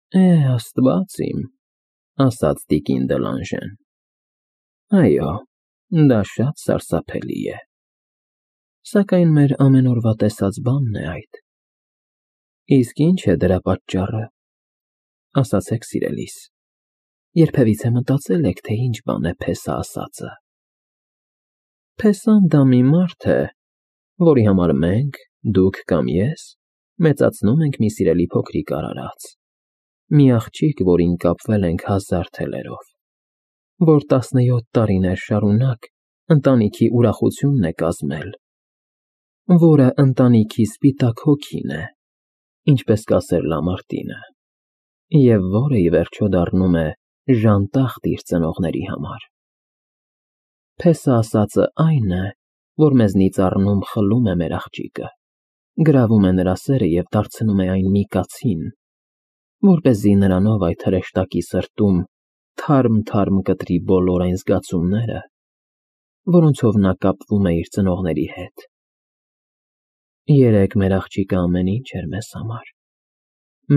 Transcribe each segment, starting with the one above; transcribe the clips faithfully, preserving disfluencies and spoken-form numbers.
Է, Աստված իմ, ասաց տիկին Դելանժեն, այո, դա շատ սարսափելի է, սակայն մեր ամեն օրվա տեսած բանն է այդ։ Իսկ ի՞նչ է դրա պատճառը, ասացեք սիրելիս, երբևիցե մտածե՞լ եք, թե ինչ բան է փեսա ասածը։ Փեսան դա մի մարդ է, որի համար մենք, դուք կամ ես մեծացնում ենք մի սիրելի փոքրիկ արարած, մի աղջիկ, որին կապվել ենք հազար թելերով, որ տասնյոթ տարիներ շարունակ ընտանիքի ուրախությունն է կազմել, որը ընտանիքի սպիտակ հոգին է, ինչպես կասեր Լամարտինը, և որը, ի վերջո, դառնում է ժանտախտ իր ծնողների համար։ Փեսա ասածը այն է, որ մեզնից առնում խլում է մեր աղջիկը, գրավում է նրա սերը և դարձնում է այն մի կացին, որպեսզի նրանով այդ հրեշտակի սրտում թարմ֊թարմ կտրի բոլոր այն զգացումները, որոնցով նա կապվում է իր ծնողների հետ։ Երեկ մեր աղջիկը ամեն ինչ էր մեզ համար,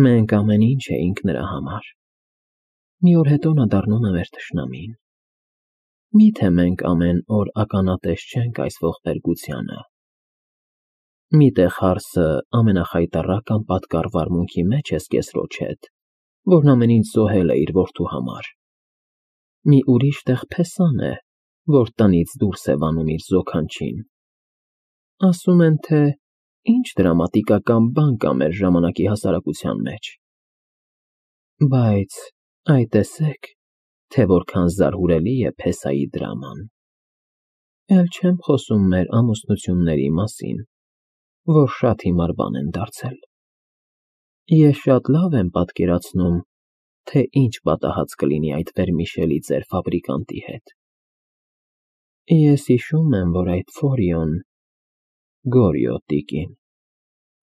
մենք ամեն ինչ էինք նրա համար, մի օր հետո նա դառնում է մեր թշնամին։ Մի՞թե մենք ամեն օր ականատես չենք այս ողբերգությանը։ Մի՞տեղ հարսը ամենախայտառակ անպատկառ վարմունքի մեջ ես կեսրոջ հետ, որն ամեն ինչ զոհել է իր որդու համար։ Մի ուրիշ տեղ Փեսան է, որ տնից դուրս է վանում իր զոքանչին։ Ասում են, թե ինչ դրամատիկական բան կա մեր ժամանակի հասարակության մեջ։ Բայց այ տեսեք, թե որքան զարհուրելի է Փեսայի դրաման։ Էլ չեմ խոսում մեր ամուսնությունների մասին, որ շատ հիմար բան են դարձել։ Ես շատ լավ եմ պատկերացնում, թե ինչ պատահած կլինի այդ վերմիշելի ձեր ֆաբրիկանտի հետ։ Ես հիշում եմ, որ այդ Ֆորիոն… Գորիո տիկին,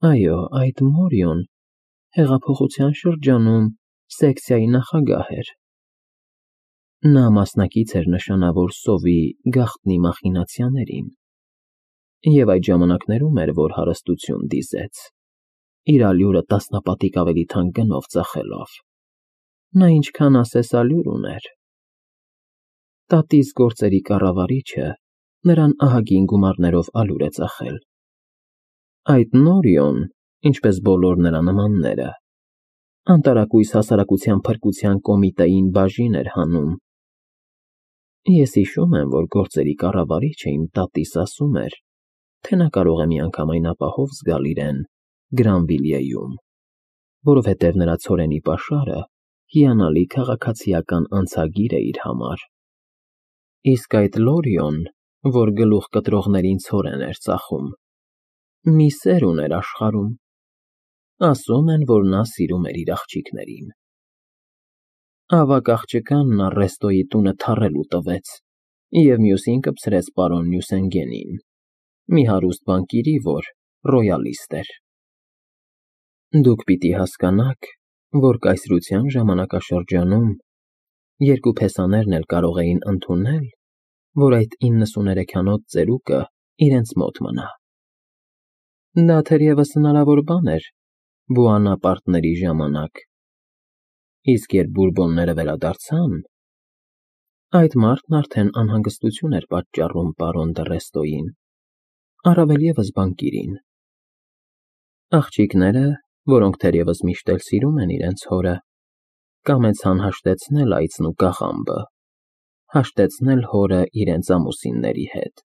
այո, այդ Մորիոն հեղափոխության շրջանում սեկցիայի նախագահ էր։ Նա մասնակից էր նշանավոր սովի գաղտնի մախինացիաներին և այդ ժամանակներում էր, որ հարստություն դիզեց, իր ալյուրը տասնապատիկ ավելի թանկ գնով ծախելով։ Նա ինչքան ասես ալյուր ուներ։ Տատիս գործերի կառավարիչը նրան ահագին գումարներով ալյուր է ծախել։ Այդ Նորիոն, ինչպես բոլոր նրա նմանները, անտարակույս հասարակության փրկության կոմիտեին բաժին էր հանում։ Ես հիշում եմ, որ գործերի կառավարիչը իմ տատիս ասում էր, թե նա կարող է մի անգամ այն ապահով զգալ իրեն Գրանվիլիեում, որովհետև նրա ցորենի պաշարը հիանալի քաղաքացիական անցագիր է իր համար։ Իսկ այդ Լորիոն, որ գլուխ կտրողներին ցորեն էր ծախում, մի սեր ուներ աշխարհում։ Ասում են, որ նա սիրում էր իր աղջիկներին։ Ավագ աղջկանն Առեստոյի տունը թառելու տվեց և մյուսին կպցրեց պարոն Նյուսենգենին, մի հարուստ բանկիրի, որ ռոյալիստ էր։ Դուք պիտի հասկանաք, որ կայսրության ժամանակաշրջանում երկու փեսաներն էլ կարող էին ընդունել, որ այդ իննսուներեքանոց ծերուկը իրենց մոտ մնա։ Դա թերևս հնարավոր բան էր Բուանապարտների ժամանակ, իսկ երբ Բուրբոնները վերադարձան, այդ մարդն արդեն անհանգստություն էր պատճառում պարոն դ'Ռեստոյին, առավել ևս բանկիրին։ Աղջիկները, որոնք թերևս միշտ էլ սիրում են իրենց հորը, կամեցան հաշտեցնել այծն ու կաղամբը, հաշտեցնել հորը իրենց ամուսինների հետ։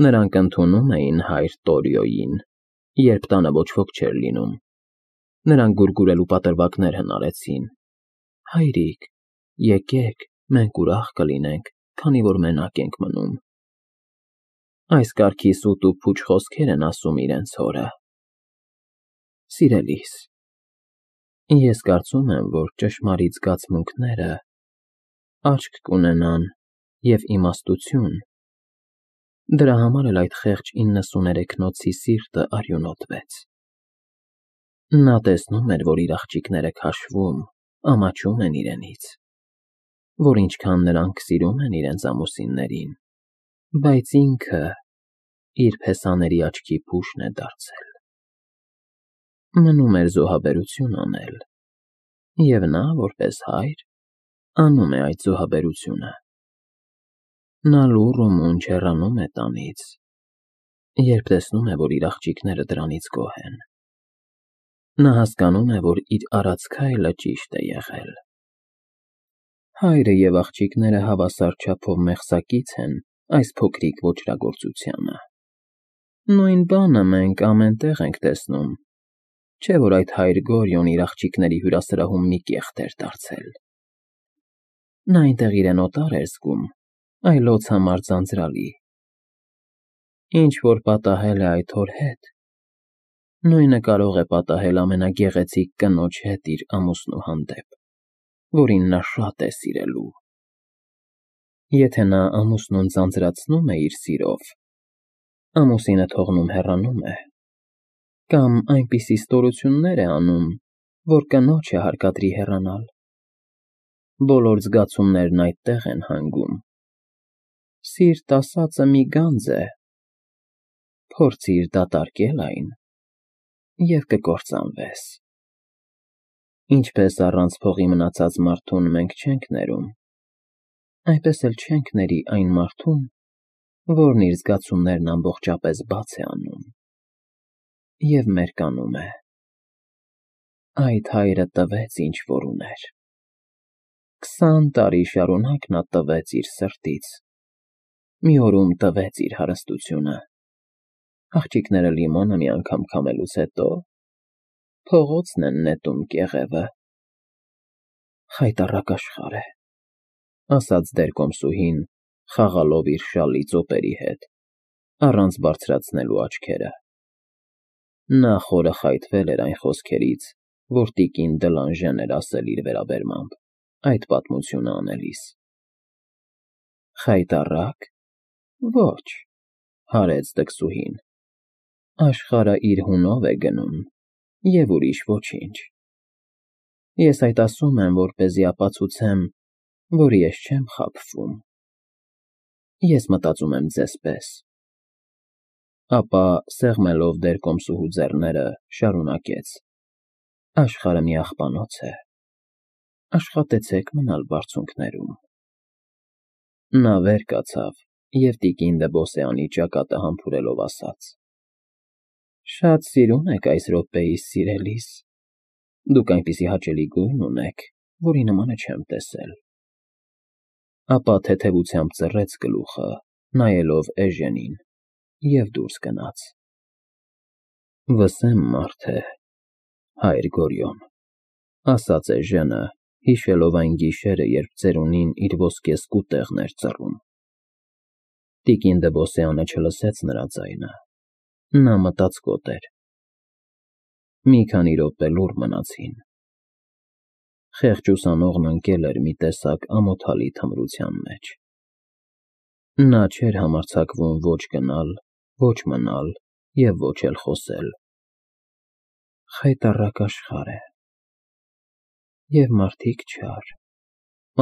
Նրանք ընդունում էին հայր Տորիոյին, երբ տանը ոչ ոք չէր լինում։ Նրան գուրգուրելու պատրվակներ հնարեցին. հայրիկ, եկեք, մենք ուրախ կլինենք, քանի որ մենակ ենք մնում։ Այս կարգի սուտ ու փուչ խոսքեր են ասում իրենց հորը։ Սիրելիս, ես կարծում եմ, որ ճշմարիտ զգացմունքները աչք կունենան և իմաստություն։ Դրա համար էլ այդ խեղճ իննսուներեքնոցի սիրտը արյունոտվեց։ Նա տեսնում էր, որ իր աղջիկները քաշվում, ամաչում են իրենից, որ ինչքան նրանք սիրում են իրենց ամուսիններին, բայց ինքը իր փեսաների աչքի փուշն է դարձել։ Մնում էր զոհաբերություն անել, Եվ նա, որպես հայր, անում է այդ զոհաբերությունը։ Նա լուռ ու մունջ հեռանում է տանից, երբ տեսնում է, որ իր աղջիկները դրանից գոհ են։ Նա հասկանում է, որ իր արած քայլը ճիշտ է եղել։ Հայրը և աղջիկները հավասար չափով մեղսակից են այս փոքրիկ ոճրագործությանը։ Նույն բանը մենք ամեն տեղ ենք տեսնում, չէ՞ որ այդ հայր Գորյուն իր աղջիկների հյուրասրահում մի կեղտ էր դարձել։ Նա այնտեղ իրեն օտար էր զգում, այլոց համար ձանձրալի։ Ինչ֊որ պատահել է այդ հոր հետ, նույնը կարող է պատահել ամենագեղեցիկ կնոջ հետ իր ամուսնու հանդեպ, որին նա շատ է սիրելու։ Եթե նա ամուսնուն ձանձրացնում է իր սիրով, ամուսինը թողնում հեռանում է, կամ այնպիսի ստորություններ է անում, որ կնոջը հարկադրի հեռանալ։ Բոլոր զգացումներն այդտեղ են հանգում։ Սիրտ ասածը մի գանձ է, փորձիր դատարկել այն, և կկործանվես։ Ինչպես առանց փողի մնացած մարդուն մենք չենք ներում, այնպես էլ չենք ների այն մարդուն, որն իր զգացումներն ամբողջապես բաց է անում և մերկանում է։ Այդ հայրը տվեց, ինչ֊որ ուներ։ Քսան տարի շարունակ նա տվեց իր սրտից, մի օրում տվեց իր հարստությունը։ Աղջիկները լիմոնը մի անգամ քամելուց հետո փողոցն են նետում կեղևը։ Խայտառակ աշխարհ է, ասաց դերկոմսուհին, խաղալով իր շալի ծոպերի հետ, առանց բարձրացնելու աչքերը։ Նա խորը խայթվել էր այն խոսքերից, որ տիկին Դլանժեն էր ասել իր վերաբերմամբ այդ պատմությունը անելիս։ Խայտառա՞կ։ Ոչ, հարեց տկսուհին, աշխարհը իր հունով է գնում, և ուրիշ ոչինչ։ Ես այդ ասում եմ, որպեսզի ապացուցեմ, որ ես չեմ խաբվում։ Ես մտածում եմ ձեզ պես։ Ապա, սեղմելով դերկոմսուհու ձեռները, շարունակեց. Աշխարհը մի աղբանոց է, աշխատեցեք մնալ բարձունքներում։ Նա վեր կացավ և տիկին Դեբոսեանի ճակատը համբուրելով ասաց. Շատ սիրուն եք այս րոպեիս սիրելիս, դուք այնպիսի հաճելի գույն ունեք, որի նմանը չեմ տեսել։ Ապա թեթևությամբ ծռեց գլուխը, նայելով Էժենին, և դուրս գնաց։ Վսեմ մարդ է, հայր Գորյուն, ասաց Էժենը, հիշելով այն գիշերը, երբ ծերունին իր ոսկե սկուտեղն էր ծռում։ Տիկին Դեբոսեանը չլսեց նրա ձայնը, նա մտածկոտ էր։ Մի քանի րոպե լուռ մնացին։ Խեղճ ուսանողն ընկել էր մի տեսակ ամոթալի թմրության մեջ։ Նա չէր համարձակվում ոչ գնալ, ոչ մնալ և ոչ էլ խոսել։ Խայտառակ աշխարհ է, և մարդիկ չար,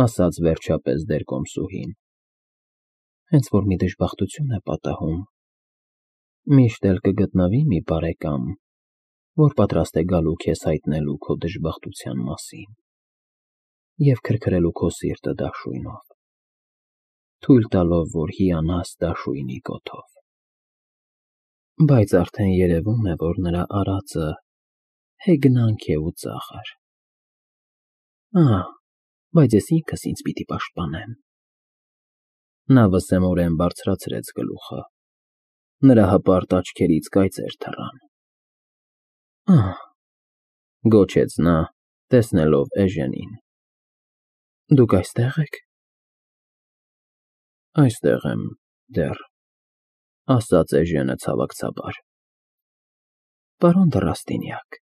ասաց վերջապես դերկոմսուհին։ Հենց որ մի դժբախտություն է պատահում, միշտ էլ կգտնվի մի բարեկամ, որ պատրաստ է գալու քեզ հայտնելու քո դժբախտության մասին և քրքրելու քո սիրտը դաշույնով, թույլ տալով, որ հիանաս դաշույնի կոթով։ Բայց արդեն երևում է, որ նրա արածը հեգնանք է ու ծաղր։ Ահ, բայց ես ինքս ինձ պիտի պաշտպանեմ։ Նա վսեմորեն բարձրացրեց գլուխը, նրա հպարտ աչքերից կայծեր թռան։ Ահ, գոչեց նա, տեսնելով Էժենին, դուք այստե՞ղ եք։ Այստեղ եմ դեռ, ասաց Էժենը ցավակցաբար։ Պարոն դռաստինյակ,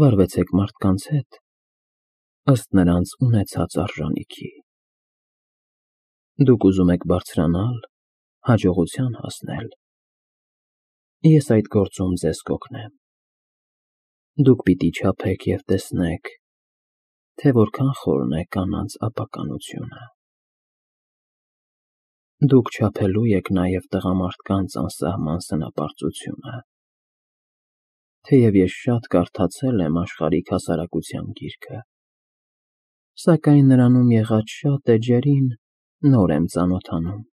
վարվեցեք մարդկանց հետ, ըստ նրանց ունեցած արժանիքի։ Դուք ուզում եք բարձրանալ, հաջողության հասնել։ Ես այդ գործում ձեզ կօգնեմ։ Դուք պիտի չափեք և տեսնեք, թե որքան խորն է կանանց ապականությունը։ Դուք չափելու եք նաև տղամարդկանց անսահման սնապարծությունը։ թեև ես շատ կարդացել եմ աշխարհիկ հասարակության գիրքը, սակայն նրանում եղած շատ էջերին նոր եմ ծանոթանում։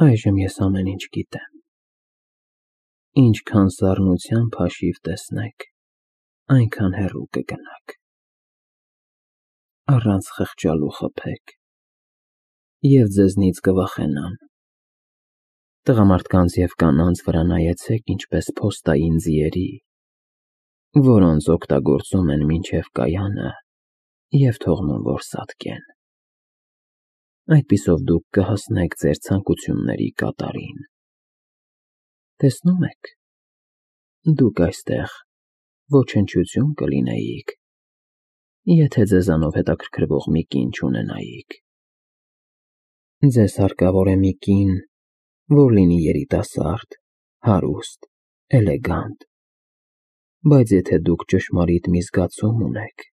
Այժմ ես ամեն ինչ գիտեմ։ Ինչքան սառնությամբ հաշիվ տեսնեք, այնքան հեռու կգնաք։ Առանց խղճալու խփեք, և ձեզնից կվախենան։ Տղամարդկանց և կանանց վրա նայեցեք ինչպես փոստային ձիերի, որոնց օգտագործում են մինչև կայանը և թողնում, որ սատկեն։ Այդպիսով դուք կհասնեք ձեր ցանկությունների կատարին։ Տեսնո՞ւմ եք, դուք այստեղ ոչնչություն կլինեիք, եթե ձեզանով հետաքրքրվող մի կին չունենայիք։ Ձեզ հարկավոր է մի կին, որ լինի երիտասարդ, հարուստ, էլեգանտ, բայց եթե դուք ճշմարիտ մի զգացում ունեք,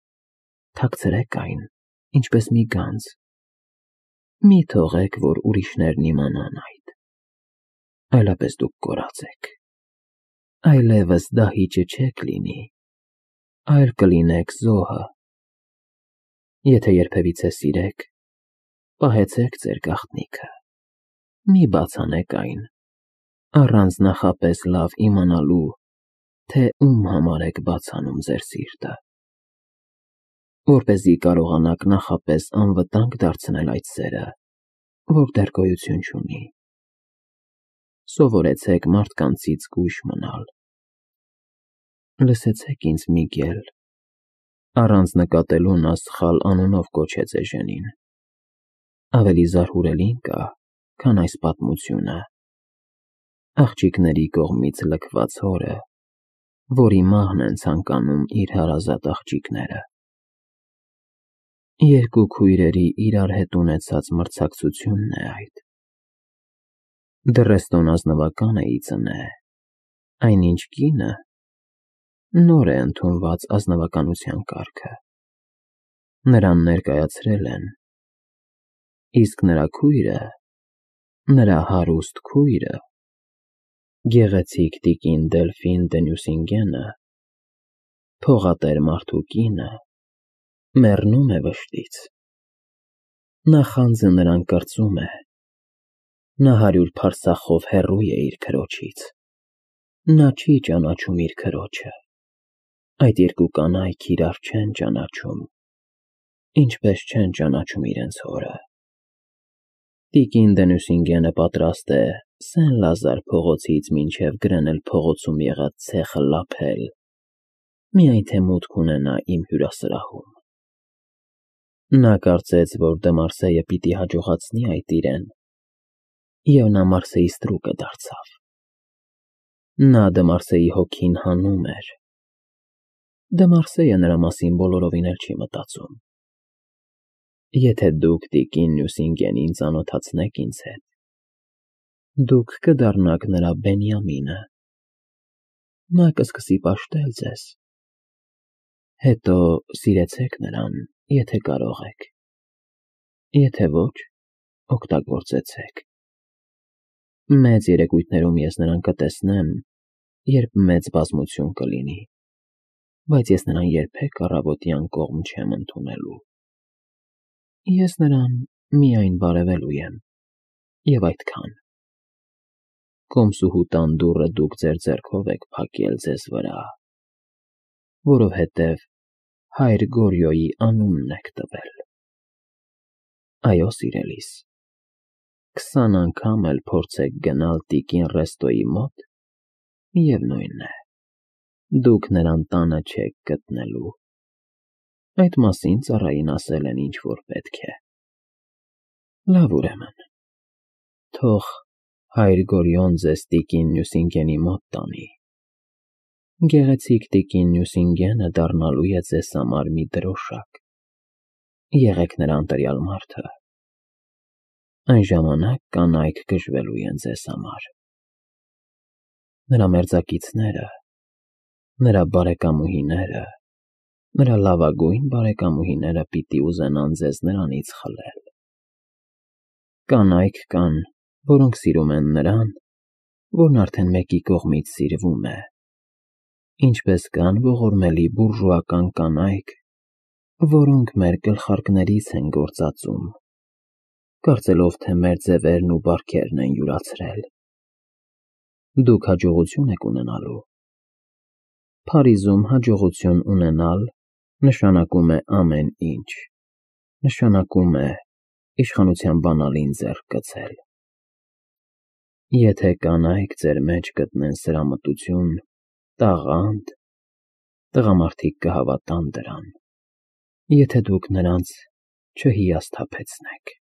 թաքցրեք այն, ինչպես մի գանձ, մի թողեք, որ ուրիշներն իմանան այդ, այլապես դուք կորած եք, այլևս դահիճը չեք լինի, այլ կլինեք զոհը։ Եթե երբևիցե սիրեք, պահեցեք ձեր գաղտնիքը, մի բացանեք այն, առանց նախապես լավ իմանալու, թե ում համար եք բացանում ձեր սիրտը, որպեսզի կարողանաք նախապես անվտանգ դարձնել այդ սերը, որ դեռ գոյություն չունի։ Սովորեցեք մարդկանցից զգույշ մնալ։ Լսեցեք ինձ, Միգել, առանց նկատելու նա սխալ անունով կոչեց էժենին։ Ավելի զարհուրելին կա, քան այս պատմությունը, աղջիկների կողմից լքված հորը, որի մահն են ցանկանում իր հարազատ աղջիկները։ Երկու քույրերի իրար հետ ունեցած մրցակցությունն է այդ։ Դռեստոն ազնվական է ի ծնե, այնինչ կինը նոր է ընդունված ազնվականության կարգը, նրան ներկայացրել են, իսկ նրա քույրը, նրա հարուստ քույրը, գեղեցիկ տիկին Դելֆին դը Նյուսինգենը, փողատեր մարդու կինը, մեռնում է վշտից։ Նախանձը նրան կրծում է, նա հարյուր փարսախով հեռու է իր քրոջից, նա չի ճանաչում իր քրոջը, այդ երկու կանայք իրար չեն ճանաչում, ինչպես չեն ճանաչում իրենց հորը։ Տիկին դը Նյուսինգենը պատրաստ է Սեն֊Լազար փողոցից մինչև Գրենել փողոցում եղած ցեխը լափել, միայն թե մուտք ունենա իմ հյուրասրահում։ Նա կարծեց, որ դը Մարսեյը պիտի հաջողացնի այդ իրեն, և նա Մարսեի ստրուկը դարձավ։ Նա դը Մարսեի հոգին հանում էր։ Դը Մարսեյը նրա մասին բոլորովին էլ չի մտածում։ Եթե դուք տիկին Նյուսինգենին ծանոթացնեք ինձ հետ, դուք կդառնաք նրա Բենյամինը, նա կսկսի պաշտել ձեզ, հետո սիրեցեք նրան, եթե կարող եք, եթե ոչ, օգտագործեցեք։ Մեծ երեկույթներում ես նրան կտեսնեմ, երբ մեծ բազմություն կլինի, բայց ես նրան երբեք առավոտյան կողմ չեմ ընդունելու։ Ես նրան միայն բարևելու եմ, և այդքան։ Կոմսուհուտան դուռը դուք ձեր ձեռքով եք փակել ձեզ վրա, որովհետև հայր Գորյոյի անունն եք տվել։ Այո, սիրելիս, քսան անգամ էլ փորձեք գնալ տիկին Ռեստոյի մոտ, միևնույն է, դուք նրան տանը չեք գտնելու։ Այդ մասին ծառային ասել են ինչ-որ պետք է։ Լավ, ուրեմն, թող հայր Գորյոն ձեզ տիկին Նյուսինգենի մոտ տանի։ Գեղեցիկ տիկին Նյուսինգենը դառնալու է ձեզ համար մի դրոշակ։ Եղեք նրա ընտրյալ մարդը։ Այն ժամանակ կանայք գժվելու են ձեզ համար։ Նրա մերձակիցները, նրա բարեկամուհիները, նրա լավագույն բարեկամուհիները պիտի ուզենան ձեզ նրանից խլել։ Կանայք կան, որոնք սիրում են նրան, որն արդեն մեկի կողմից սիրվում է, Ինչպես կան ողորմելի բուրժուական կանայք, որոնք մեր գլխարկներից են գործածում, կարծելով, թե մեր ձևերն ու բարքերն են յուրացրել։ Դուք հաջողություն եք ունենալու։ Փարիզում հաջողություն ունենալ նշանակում է ամեն ինչ, նշանակում է իշխանության բանալին ձեռք գցել։ Եթե կանայք ձեր մեջ գտնեն սրամտություն, տաղանդ, տղամարդիկ կհավատան դրան, եթե դուք նրանց չհիասթափեցնեք։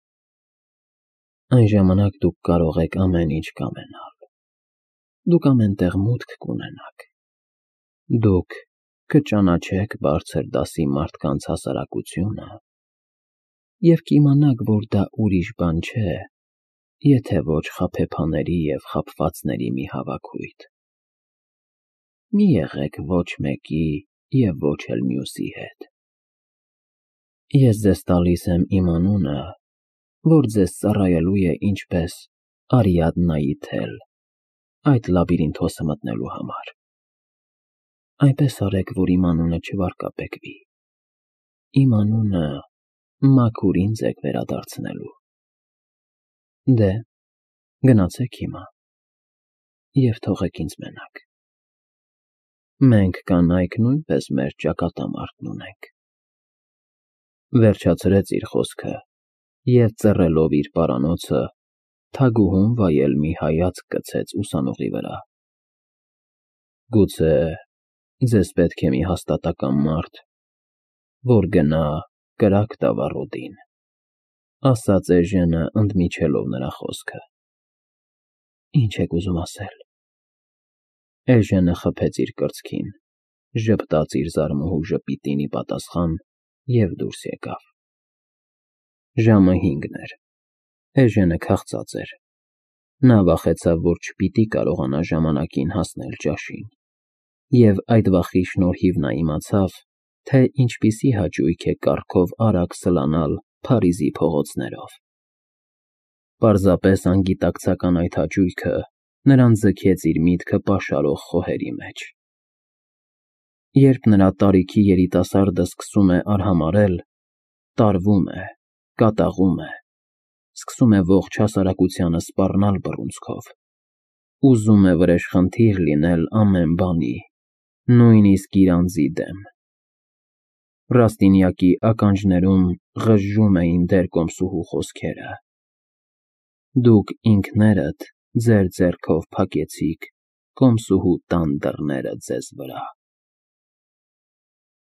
Այն ժամանակ դուք կարող եք ամեն ինչ կամենալ, դուք ամեն տեղ մուտք կունենաք, դուք կճանաչեք բարձր դասի մարդկանց հասարակությունը և կիմանաք, որ դա ուրիշ բան չէ, եթե ոչ խաբեբաների և խաբվածների մի հավաքույթ։ Մի եղեք ոչ մեկի և ոչ էլ մյուսի հետ։ Ես ձեզ տալիս եմ իմ անունը, որ ձեզ ծառայելու է ինչպես Արիադնայի թել այդ լաբիրինթոսը մտնելու համար։ Այնպես արեք, որ իմ անունը չվարկաբեկվի, իմ անունը մաքուր ինձ եք վերադարձնելու։ Դե, գնացեք հիմա և թողեք ինձ մենակ։ Մենք կանայք նույնպես մեր ճակատամարտն ունենք։ Վերջացրեց իր խոսքը և ծռելով իր պարանոցը, թագուհուն վայել մի հայացք գցեց ուսանողի վրա։ Գուցե ձեզ պետք է մի հաստատակամ մարդ, որ գնա կրակ տա վառոդին, ասաց Էժենը ընդմիջելով նրա խոսքը։ Ինչ եք ուզում ասել։ Էժենը խփեց իր կրծքին, ժպտաց իր զարմուհու ժպիտին ի պատասխան և դուրս եկավ։ Ժամը հինգն էր, Էժենը քաղցած էր, նա վախեցավ, որ չպիտի կարողանա ժամանակին հասնել ճաշին, և այդ վախի շնորհիվ նա իմացավ, թե ինչպիսի հաճույք է կառքով արագ սլանալ Փարիզի փողոցներով։ Պարզապես անգիտակցական այդ հաճույքը նրան ձգեց իր միտքը պաշարող խոհերի մեջ։ Երբ նրա տարիքի երիտասարդը սկսում է արհամարհել, տարվում է, կատաղում է, սկսում է ողջ հասարակությանը սպառնալ բռունցքով, ուզում է վրեժխնդիր լինել ամեն բանի, նույնիսկ իր անձի դեմ։ Ռաստինյակի ականջներում ղժժում էին դեռ կոմսուհու խոսքերը. «Դուք ինքներդ ձեր ձեռքով փակեցիք կոմսուհու տան դռները ձեզ վրա»։